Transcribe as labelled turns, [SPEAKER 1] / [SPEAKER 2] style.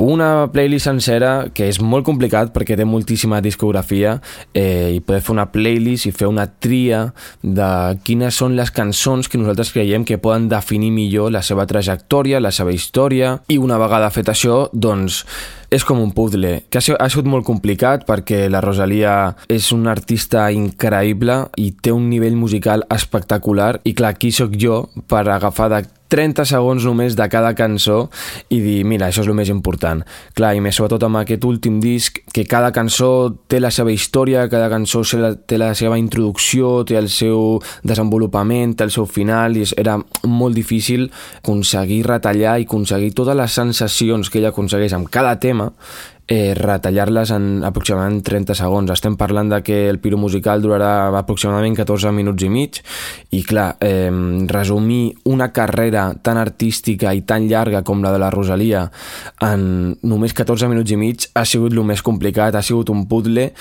[SPEAKER 1] una playlist sencera, que és molt complicat perquè té moltíssima discografia, i poder fer una playlist i fer una tria de quines són les cançons que nosaltres creiem que poden definir millor la seva trajectòria, la seva història, i una vegada fet això, doncs és com un puzzle, que ha sigut molt complicat perquè la Rosalía és una artista increïble i té un nivell musical espectacular, i clar, aquí sóc jo per agafar de 30 segons només de cada cançó i dir, mira, això és el més important. Clar, i més sobretot amb aquest últim disc, que cada cançó té la seva història, cada cançó té la seva introducció, té el seu desenvolupament, té el seu final, i era molt difícil aconseguir retallar i aconseguir totes les sensacions que ella aconsegueix amb cada tema, retallar-les en aproximadament 30 segons. Estem parlant de que el Piro musical durarà aproximadament 14 minuts i mig, i clar, resumir una carrera tan artística i tan llarga com la de la Rosalía en només 14 minuts i mig ha sigut el més complicat, ha sigut un puzzle